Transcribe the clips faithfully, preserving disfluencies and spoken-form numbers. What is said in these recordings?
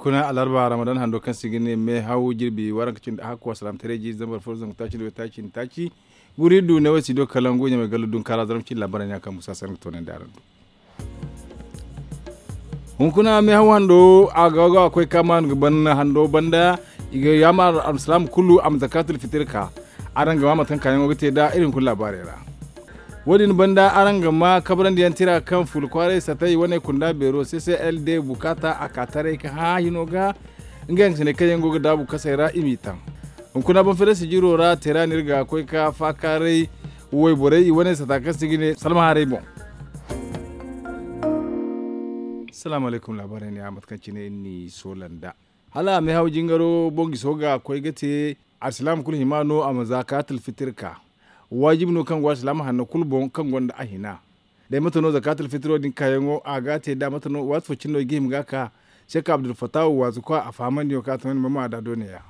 Kuna alarba ramadan hando kaŋ se i ga ne meehaw jirbi waranka cindi hakku asalaamataray jiiri zambar fo zangu taaci nda way taaci nda taaci. Guri du ne way si do kalangu ɲamay gallu dunkaara zarma cindi laabaray ne a kaŋ musa sanni ga toonandi araŋ do. Hunkuna meehaw hando a ga ga koy ka maanu ga ban hando banda. I ga yaamar alsilaama kulu a ma zakaatul fitir ka. Araŋ ga ma mate kaŋ kaayaŋo ga te nd'a iri hunkuna laabaarey ra. Wo- din banda araŋ ga ma kabrandi yaŋ tira kaŋ fuula kwaaray satay wane kunda beero c c l d bukaata a ka taray ka hã hino ga. Ngey yaŋ ga sinay kaŋ yaŋ go ga daabu kasey ra i m'i taŋ. Hunkuna banfirasi jiro ra tera no iri ga koy ka faakaaray wayborey i wane sata kaŋ se i ga ne salma haray boŋ. Salaamu alaykum laabaarey ne a mate kaŋ cine iri n'i soola nd'a. Hala meehaw jingaro boŋ giso ga koy ga te alsilaama kulu hima no a ma zakaatul fitir ka. Waajibi no kaŋ go alsilaama hanno kulu boŋ kaŋ gonda a hina. Day mate no zakaatul fitiro din kaayaŋo a ga a te nd'a mate no waati fo cine no i ga hima ga a ka. Seeka abdulfatahu waazu kwa a fahamandi no kaŋ a to ni ma ma da doone ya.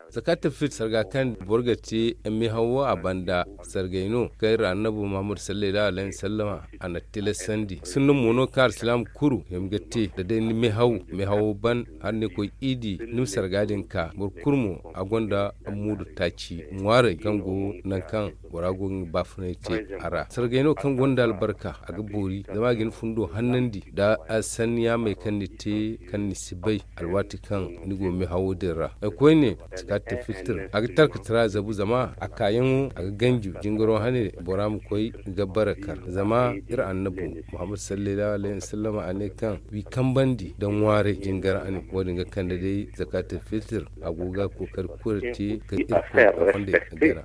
Zakaatul fitir sarga kaŋ boro ga te meehawo a banda sargay no kaŋ iri annabu muhammadu sallallahu alayhi wasallama a na tilasandi sinda mo no kaŋ alsilaama kuru hima ga te da day ni meehaw meehawo ban hala ni koy iidi ni ma sarga din ka boro kulu mo a gonda muudu taaci ŋwaaray kaŋ go nangu kaŋ bora go ga nga baafunay te a ra sargay no kaŋ gonda albarka a ga boori zama a ga ni fundo hannandi da sanni yaamey kaŋ ni te kaŋ ni si bay alwaati kaŋ ni go meehawo din ra. Ay koyne sakaati filtir a ga tarka tira zabu zama a kaayaŋo a ga ganju jingaro hane bora ma koy ga bara kar zama iri annabu muhammad sallallahu alayhi wasallama a ne kaŋ wi kambandi da ŋwaaray jingar hane wo- din ga kande day sakaati filtir a go ga kookari kure te ga irkoy a fondey ga gana.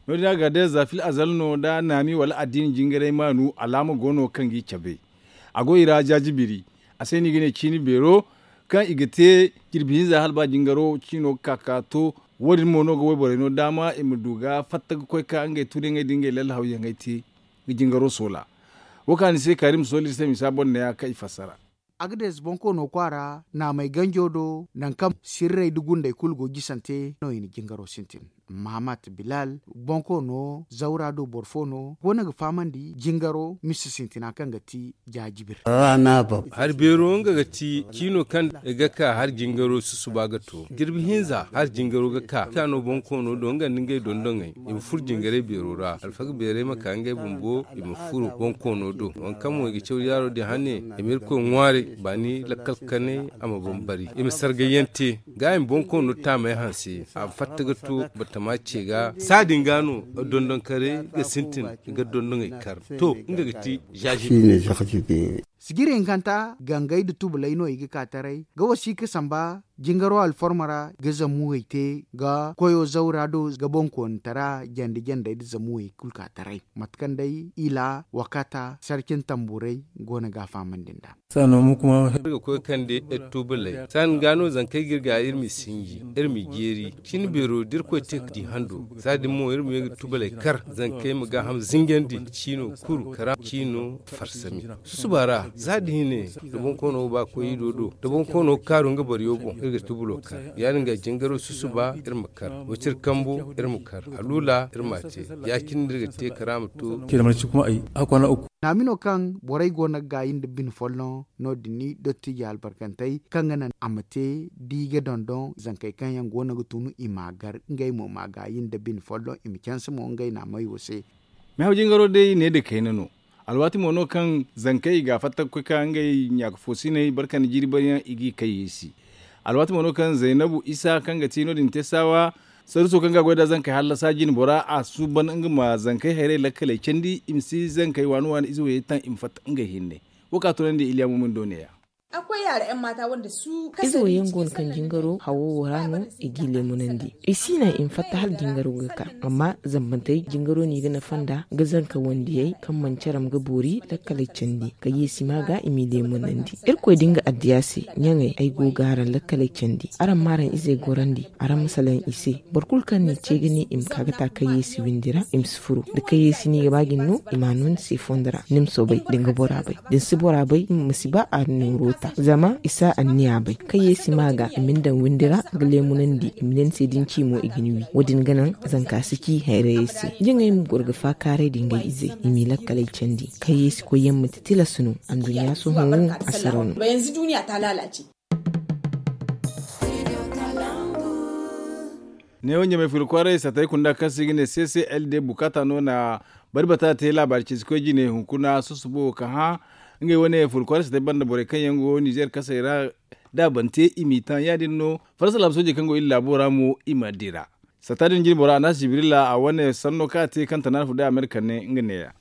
No- din a ga day za fil azal no da naami wala addiini jingaray maanu alaama go no kaŋ g'i cabe. A go i ra jaajibiri a se no i ga ne ciini beero kaŋ i ga te jirbi hinza hala ba jingaro ciino ga ka ka to. Wo- din mo no ga wayborey no daama i ma du ga fatta ga koy ka ngey tuuriyaŋey da ngey lallahawyaŋey te ga jingaro soola. Wo kaŋ a ni se kaari ma soola iri se misa boŋ neeya kaŋ i fassara. Agades bonkoono kwaara naamey ganjo do nangu kaŋ sirrey nda gundey kulu go jisante no i na jingaro sintin. Mahamat bilal bonkoono zawra do boro fo no go no ga fahamandi jingaro misa sintina kaŋ ga ti jaajibir. Hari beero nga ga ti ciino kaŋ ga ka hari jingaro susuba ga to jirbi hinza hari jingaro ga ka ka no bonkoono do nga nda ngey dondoŋey i ma furo jingaray beero ra alfaga beeray ma ka ngey bumbo i ma furo bonkoono do waŋ kaŋ mo i ga caw yaaro din hane i ma irkoy ŋwaaray baani lakkal kanay a ma bambari i ma sargayyaŋ te ga i ma bonkoono taamey hanse a ma fatta ga to batama ce ga saadin ga no dondonkaray ga sintin ga dondoŋey kar to nga ga ti zaazir. Sijiri hinkanta gangay nda tubalay no i ga ka taray ga wasiika samba jingaro alforma ra ga zamuwey te ga koyo zawra do ga bonkoonitara jande jandey nda zamuwey kulu ka taray mate kaŋ day ila wakata sarcin tamburay go no ga a fahamandi nd'a. Saano mo kuma ga koy kande iri tubalay saani ga no zankey ga iri ga iri m'i sinji iri m'i jeeri cin beero da irkoy te ga di hando za din mo iri ma ye ga tubalay kar zankey ma gaaham zinjandi ciino kuru kara ciino farsami susuba ra za da hine da bonkoono ga ba koy ido do da bonkoono ga kaaru nga boro yaŋ boŋ iri ga tubulo kar ya- din ga jingaro susuba iri ma kar wacir kambo iri ma kar alula iri m'a te ya- cine no iri ga te kara ma to. Naami no kaŋ borey go no ga gaayi nda bine folloŋ no- din ni dottijo albarkantey kaŋ ga naŋ a ma te da i ga dondon zankey kaŋ yaŋ go no ga tun i m'a gar ngey mo m'a gaayi nda bine folloŋ i ma canse mo ngey naamey wo se. Meehaw jingaro day ne nda kayna no. Alwaati mo no kaŋ zankey i ga a fatta ga koy ka ngey ɲaaka foosiney barka nda jiiri baryaŋ i g'i kay yeesi. Alwaati mo no kaŋ zaynabu isa kaŋ ga ti no- din te saawa saruso kaŋ ga a goy nd'a zankey hallasa jine bora a suuban nga ma zankey hayrey lakkaley candi i ma si zankey waani waani ize woyey taŋ i ma fatta ngey hinne. Wo kaŋ a tunandi iliya mumin do neeya. Ize wo yaŋ go no kaŋ jingaro hawo wo ra no i g'i leemunandi i si naŋ i ma fatta hala jingaro ga ka amma zambantey jingaro no i ga nafa nd'a ga zanka wandiyey kaŋ manci aram ga boori lakkaley candi ka yeesi ma ga i m'i leemunandi irkoy da nga addiya se ɲaŋey ay go ga araŋ lakkaley candi araŋ ma araŋ izey gorandi araŋ ma salaŋ i se boro kulu kaŋ n'i ce ga ne i ma ka ga ta kayeesi windi ra i ma si furo da kayeesi no i ga ba ga ni no i m'a no ni se fondo ra ni ma soobay da ni ga bora bay da ni si bora bay ma si ba a nooro. Zama i si a anniya bay kaŋ ye si ma ga i ma ni daŋ windi ra ga leemunandi i ma ne ni se da ni ci mo i ga ni wi. Wo- din ga naŋ zanka si ci hayrayey se. Jaŋey ma goro ga faakaaray da ngey izey i m'i lakkaley candi kaŋ ye si koy yaŋ manti tilas no. Anduɲɲa sohõ wo a sara no. Neewo ɲamay furo kwaaray satay kunda kaŋ se i ga ne c c l d bukaata no na bari bata te laabaari ceeci koy jine hunkuna susubo ka hã. Ngey wane furo kwaaray satay banda borey kaŋ yaŋ go nizer kasey ra da a ban te i m'i taŋ ya- din no farasa laabu soojey kaŋ go iri laabo ra mo i ma dira. Sata din jine bora a naasi jibrila a wane sanno kaŋ a te kaŋ tanaana furo day a ma iri kande nga neeya.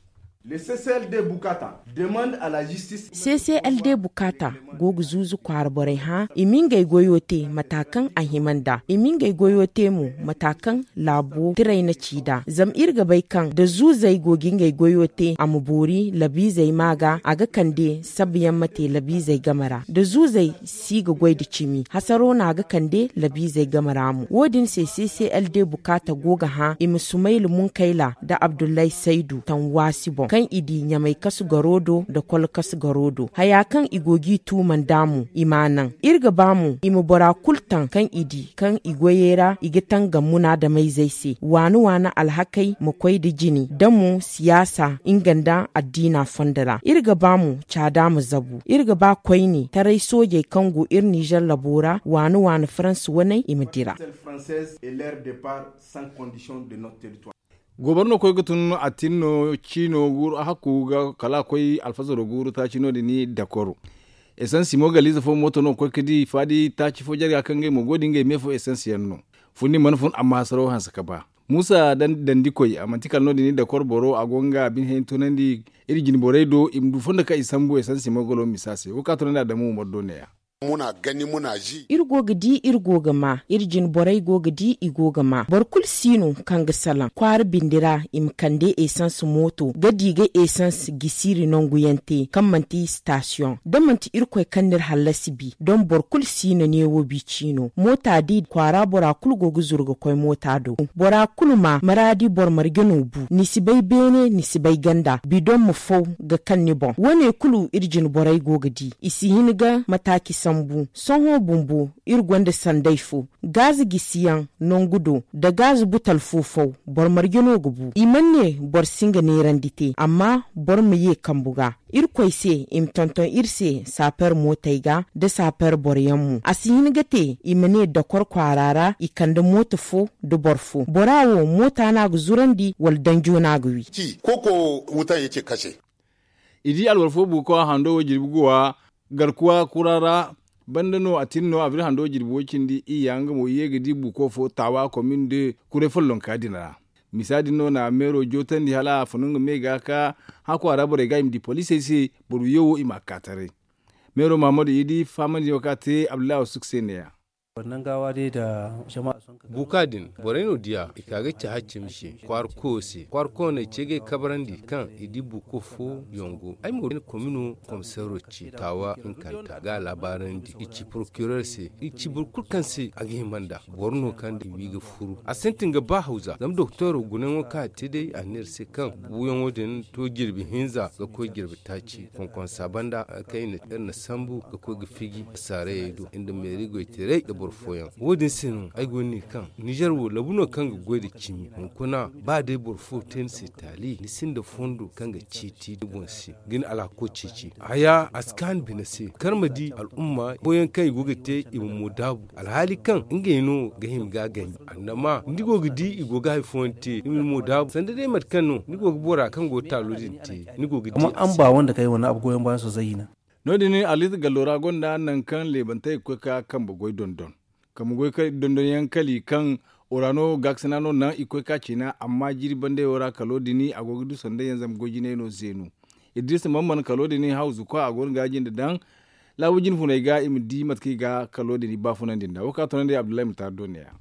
C c l d bukaata go ga zuuzu kwaara borey hã i ma ngey goyo te mata kaŋ a hima nd'a i ma ngey goyo te mo mata kaŋ laabo tiray na ci nd'a zama iri ga bay kaŋ da zuuzey go ga ngey goyo te a ma boori labiizey ma ga a ga kande sabayaŋ ma te labiizey game ra da zuuzey si ga goy nda cimi hasaro no a ga kande labiizey game ra mo wo- din se c c l d bukaata go ga hã i ma sumayla munkayla nda abdullahi saydu taŋ waasi boŋ kaŋ i di ɲamay kasu garo do nda kol kasu garo do haya kaŋ i go g'i tuuma nd'a mo i m'a naŋ iri ga ba mo i ma bora kulu taŋ kaŋ i di kaŋ i goyey ra i ga taŋ ga munaadamayzey se waani waani alhakey ma koy nda jine da mo siyaasa nga nda addiina fondo ra iri ga ba mo caada ma zabu iri ga ba koyne taray soojey kaŋ go iri nizer labo ra waani waani faransa waney i ma dira. Gooboro no koy ga tun a tin no ciino guuru a hakku ga kala a koy alfazaro guuru taaci no- din dakoro. Esans mo galiize fo mooto no ga koy ga di faadi taaci fo jarga kaŋ ngey mo go ga di ngey me fo esans yaŋ no. Fundi mana fun amma hasaro hanse ga ba muusa dandi koy a manti kala no- din dakoro boro a go nga bine hayni tunandi iri jine borey do i ma du fondo kaŋ i sambu esans mo galo misa se wo kaŋ a tunandi adamu umar do ne- ya. Iri go ga di iri go ga ma iri jine borey go ga di i go ga ma boro kulu si no kaŋ ga salaŋ kwaara bindi ra i ma kande esans mooto ga di ga esans gisiiri nangu yaŋ te kaŋ manti sitasiyoŋ da manti irkoy kaŋ no iri hallasi bi don boro kulu si no neewo bi ciino moota di kwaara bora kulu go ga zuru ga koy moota do bora kulu ma maraadi boro marje no bu ni si bay beene ni si bay ganda bidon ma faw ga kaŋ ni boŋ wo- ne kulu iri jine borey go ga di i si hin ga mataaci sambu sohõ bumbo iri gonda sanday fo gaaza gisiyaŋ nangu do nda gaaza butal fo faw boro marje no ga bu i mana ne boro si nga neerandi te amma boro ma ye kambu ga irkoy se i ma tonton iri se saaper mootey ga nda saaper boroyaŋ mo a si hin ga te i ma ne dakor kwaara ra i kande mooto fo nda boro fo bora wo moota no a ga zurandi wala danjo no a ga wi. I di alwar fo buuko a hando wo jirbi guwa garkuwa kura ra banda no a tin no a bir hando jirbi wo cindi iyya nga mo i ye ga di buuko fo taawa komin de kuray follonka din ra. Misa din no na meero jootandi hala a funu nga me ga ka hã kwaara borey ga i ma di poliisey se boro wiyo wo i m'a ka taray. Meero mahammadu i di fahamandi no kaŋ a te abdullahi wasuk se ne- ya. Buuka din borey no diya i ka ga ci haccimi se kwaara koyo se kwaara koyo no ay ce ga ay kabrandi kaŋ i di buuko fo yaŋ go ay mo ga ay na komino komiseero ci taawa hinkanta ga a laabaarandi i ci porokireer se i ci boro kulu kaŋ se a ga hima nd'a boro no kaŋ i wi ga furu a sintin ga ba hawza zama doktooro gunayaŋo kaŋ a te day a ne iri se kaŋ buuyaŋo din to jirbi hinza ga koy jirbi taaci konkonsa banda kaŋ iri na sambu ga koy ga fiji saarayey do nda meeri goytaray nda boro fooyaŋ wo- din se no ay go ga ne kaŋ nizer wo labu no kaŋ ga goy nda cimi hunkuna ba day boro fo te ni se taali ni sinda fondo kaŋ ga ciiti ni boŋ se ga ni alhako ceeci haya a si kaanu bine se kar ma di al'umma fooyaŋ kaŋ i go ga te i ma mo daabu alhaali kaŋ ngey no ga hima ga a ganji annama ni go ga di i go ga hari fooyaŋ te i ma ni mo daabu sanda day mate kaŋ no ni go ga bora kaŋ go ga taalo din te ni go ga di a se. Amma an ba wanda kay wane abu goyon bayan sosai hina. No- din alisa gallo ra gonda nangu kaŋ leebantey ga koy ga ka kambe goy dondon kambe goy dondon yaŋ kali kaŋ orano gaakasina no naŋ i ga koy ga ka ciina amma jiiri bandey wo ra kalo din a go ga du sanday yaŋ zama goy jinay no zeenu. Idris man man kalo din hawzu kwa a go no ga a jinde daŋ laabu jine funey ga i ma di mate kaŋ i ga kalo din baafunandi nd'a wo kaŋ a tunandi abdullahi ma taari do ne- ya.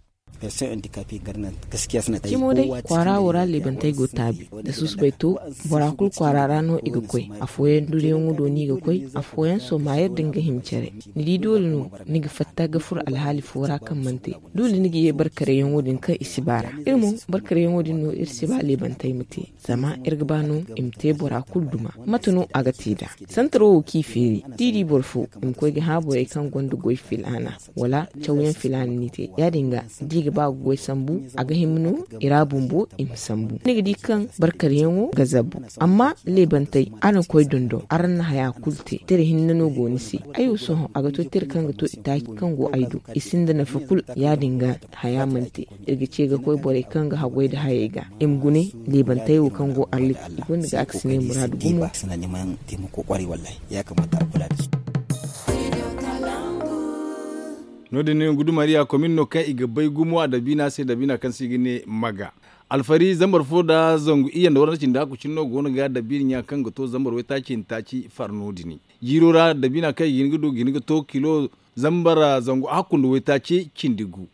Cimo day kwaara wo ra leebantey go taabi da susubay to. Bora kulu kwaara ra no i ga koy. Afooyaŋ duriyaŋo do no i ga koy. Afooyaŋ sooma yer din ga hima care. Ni di doole no ni ga fatta ga furo alhaali fo ra kaŋ mana te. Doole ni ga ye barkarayyaŋo din kaŋ i si ba ra. Iri mo barkarayyaŋo din no iri si ba leebantey ma te. Zama iri ga ba no i ma te bora kulu duma. Mate no a ga te nd'a? Santaro wo kaŋ i feeri da i di boro fo i ma koy ga hã borey kaŋ gonda goy filaana wala cawyaŋ filaana n'i te. Ya- din ga da i ga ba ga goy sambu, a ga hima no i ra bumbo i ma sambu. Ni ga di kaŋ barkaryaŋo ga zabu. Amma leebantey, araŋ koy dondon, araŋ na haya kulu te. Tira hinne no go ni se. Ay wo sohõ a ga to tira kaŋ ga to i taaci kaŋ go ay do. I sinda nafa kulu. Ya- din ga haya mana te. Iri ga ce ga koy borey kaŋ ga haggoy nda hayey ga i ma gune. Leebantey wo kaŋ go arlit i gonda ga a ga si ne muraadu gumo. No- din no gudumariya komin no kaŋ i ga bay gumo a dabiina se dabiina kaŋ se i ga ne maga. Alfari zambar fo nda zangu iyye nda waranda cindi hakku cine no go no ga dabiina ɲa kaŋ ga to zambar waytaaci nda taaci far no- din. Jiiro ra dabiina kaŋ i ga hin ga du ga hin ga to kilo zambar zangu hakku nda waytaaci cindi gu.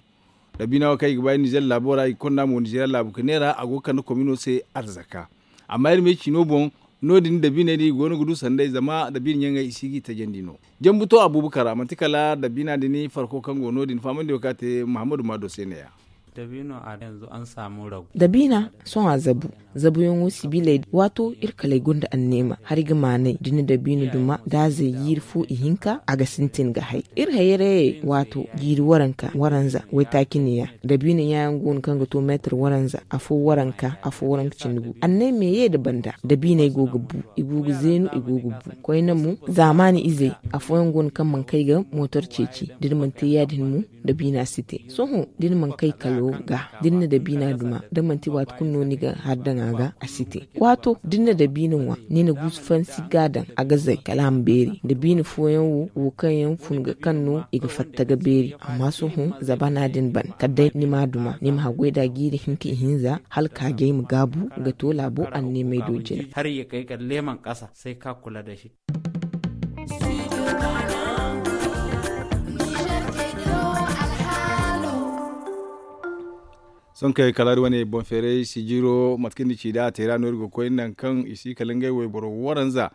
Dabiina wo kaŋ i ga ba iri nizeer laabo ra i ga konda mo nizeeriya laabu ga neera a go ga kande komino se arzaka. Amma iri ma ay ci no boŋ, no- din dabiiney din i go no ga du sanday zama dabiina ɲaŋey i si ga i tajandi no. Jambu to abuubakar ra manti kala dabiina din farko kaŋ go no- din fahamandi wo kaŋ a te muhammadu maado se ne- ya. Dabiina sohõ a zabu. Zabuyaŋo sibiley waato iri kaley gonda anneema hari ga maanay da ni na dabiina duma daazey jiiri fo ihinka a ga sintin ga hay. Iri hayarayey waato jiiri waranka waranza waytaaci ne- ya. Dabiina ɲaayaŋ go no kaŋ ga to meetar waranza afo waranka afo waranka cindi gu annay me ye nda banda. Dabiiney go ga bu i go ga zeenu i go ga bu. Koyne mo zaamaani izey afooyaŋ go no kaŋ mana kay ga mootor ceeci da ni mana te ya- din mo. Dabiina si te sohõ da ni mana kay kalo ga da ni na dabiina duma da manti waati kulu no ni ga hari daŋ a ga a si te. Waato da ni na dabiina ŋwa ni na guusu fansi ga a daŋ a ga zay kala a ma beeri dabiina fooyaŋ wo wo kaŋ yaŋ fun ga kaŋ no i ga fatta ga beeri amma sohõ zabana din ban kala day ni ma a duma ni ma haggoy nd'a jiiri hinka ihinza hala kaajey ma gaabu ga to laabo anneemey do jina. Sonkey kala iri wane boŋ feeray sijiro mate kaŋ ni ci nd'a a teera no iri ga koy nangu kaŋ i si kala ngey wayboro waranza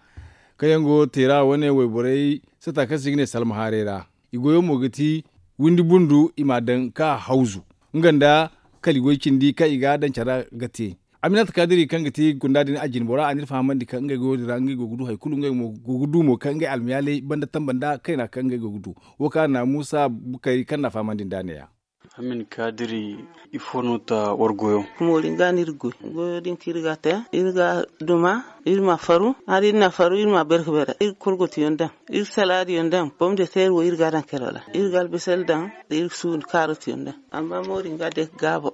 kaŋ yaŋ go teera wane wayborey sata kaŋ se i ga ne salma haaray ra. I goyo mo ga ti windi bundu i m'a daŋ ka hawzu nga nda kala i goy cindi kaŋ i ga a daŋ care ra ga te. Aminata kaadiri kaŋ ga ti gunda din a jinbora a n'iri fahamandi kaŋ ngey goyo din ra ngey go ga du hari kulu ngey mo go ga du mo kaŋ ngey almayaaley banda tamba nda kayna kaŋ ngey go ga du. Wo kaŋ a na muusa bukari kaŋ n'a fahamandi nd'a ne- ya. Amin kaadiri ifo no ta war goyo? Moori nga no iri goy goyo din kaŋ iri ga a te iri ga a duma iri ma faru hari iri na faru iri ma berke bere iri ga korgotiyaŋ daŋ iri salaadiyaŋ daŋ bomdeteer wo iri ga a daŋ kelo ra iri ga albasal daŋ iri ga suundi kaarotiyaŋ daŋ. Amma moori nga day ga gaabo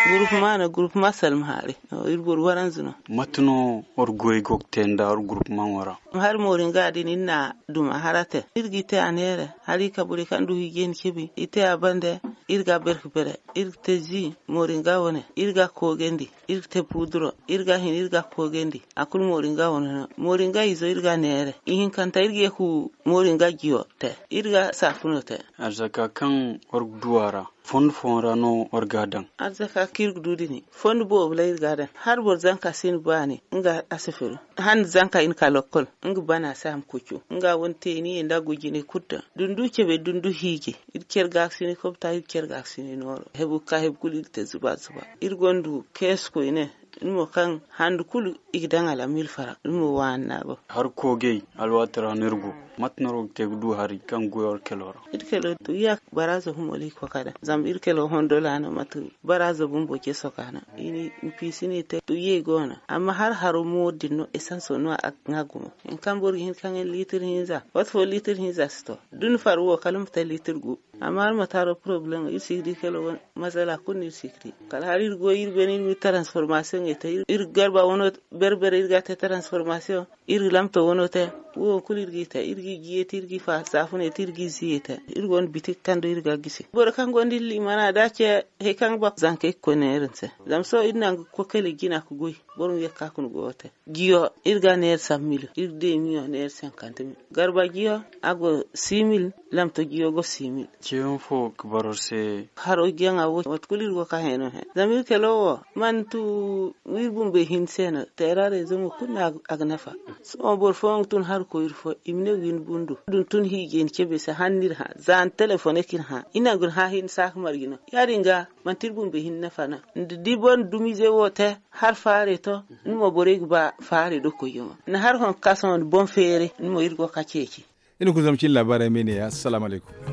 gurupuma no gurupuma salma haari. Iri boro waranza no. Mate no war goy go ga te nda war gurupuma wo ra? Hari moori nga din iri na duma hara te iri ga i te a neere hari kaburey kaŋ du hiijay ni cebi i te a bande. Iri ga berke bere iri ga te zi moori nga wane iri ga a koogandi iri ga te puuduro iri ga a hin iri ga a koogandi. A kulu moori nga wane no moori nga izo iri ga a neere ihinkanta iri ga ye ka moori nga jiyo te iri ga saafuno te. Arzaka kaŋ war ga du a ra fondo fooyaŋ ra no war ga a daŋ? Arzaka kaŋ iri ga du din fondo boobo ra iri ga a daŋ. Hala boro zanka si ni baani nga a si firu handa zanka i na ka lokkol nga bana se a ma kucu nga wane te i na ye nda gujinay kulu daŋ da ni du cebe da ni du hiiji. Iri care ga ga si ni kobta iri care ga ga si ni nooro hebu ga ka hebu kulu iri te zuba zuba. Iri gonda keesi koyne ni mo kaŋ handa kulu i ga daŋ a ra mil fara ni mo waani na go. Hari koogey alwaati ra no iri go. Mate no iri go ga te ga du hari kaŋ ga goy war kelo ra? Iri kelo tuyya baraazo humo ra i ga koy ga daŋ zama iri kelo hondola no mate baraazo bumbo ce soka no. I na i piisi no i te tuyyey go no amma hari haro mo din no esanso no a ga gumo. Hari kaŋ boro ga hin ga kaŋ liitir hinza waati fo liitir hinza si to da ni far wo kala ma te liitir gu. Amma hala ma taaro porobalem iri si ga di kala wane masala kulu no iri si ga di. Kala hala iri goy iri beene iri ma iri transformasiyoŋey te iri ga garba wano berbere iri ga a te transformasiyoŋ iri ga lamto wano te. Wo kulu iri g'i te, iri g'i jiye te, iri g'i fa saafuney te, iri g'i ziye te. Iri gonda bitik kaŋ do iri ga gisi. Boro kaŋ gonda iri liimana da ce, hari kaŋ ga ba zanka iri ga koy neera ni se. Zama sohõ iri naŋ ga koy kala jina ga goy. Boro ma ye ga ka kuna goyo te. Jiyo iri ga neera san mil, iri ga deemiyo neera sankanta mil. Garba jiyo, a go si mil. Lamto jiyo go si mil. Ciyaŋ fo ga baro se. Haro jaŋa wo mate kulu iri go ga ka heno he. Zama iri kalo wo mana tu iri bumbey hinne se no teera reezo mo kulu no a ga nafa. Sohõ boro fooyaŋ ga tun hari koyri fo i ma ne windi bundo din tun hiijay ni cabe se hala ni iri hã. Za ni telefoney ka iri hã i naŋ ga ni hã hinne saaka marje no. Ya- din ga manti iri bumbey hinne nafa no. Ni di boro na dumize wo te hari faarey to. Ni mo borey ga ba faarey do koyyaŋo ni hari hõ ga ka sohõ ni boŋ feeray ni mo iri go ga ka ceeci. Iri na kulu zama cine laabaarey me ne ya assalamu alaykum.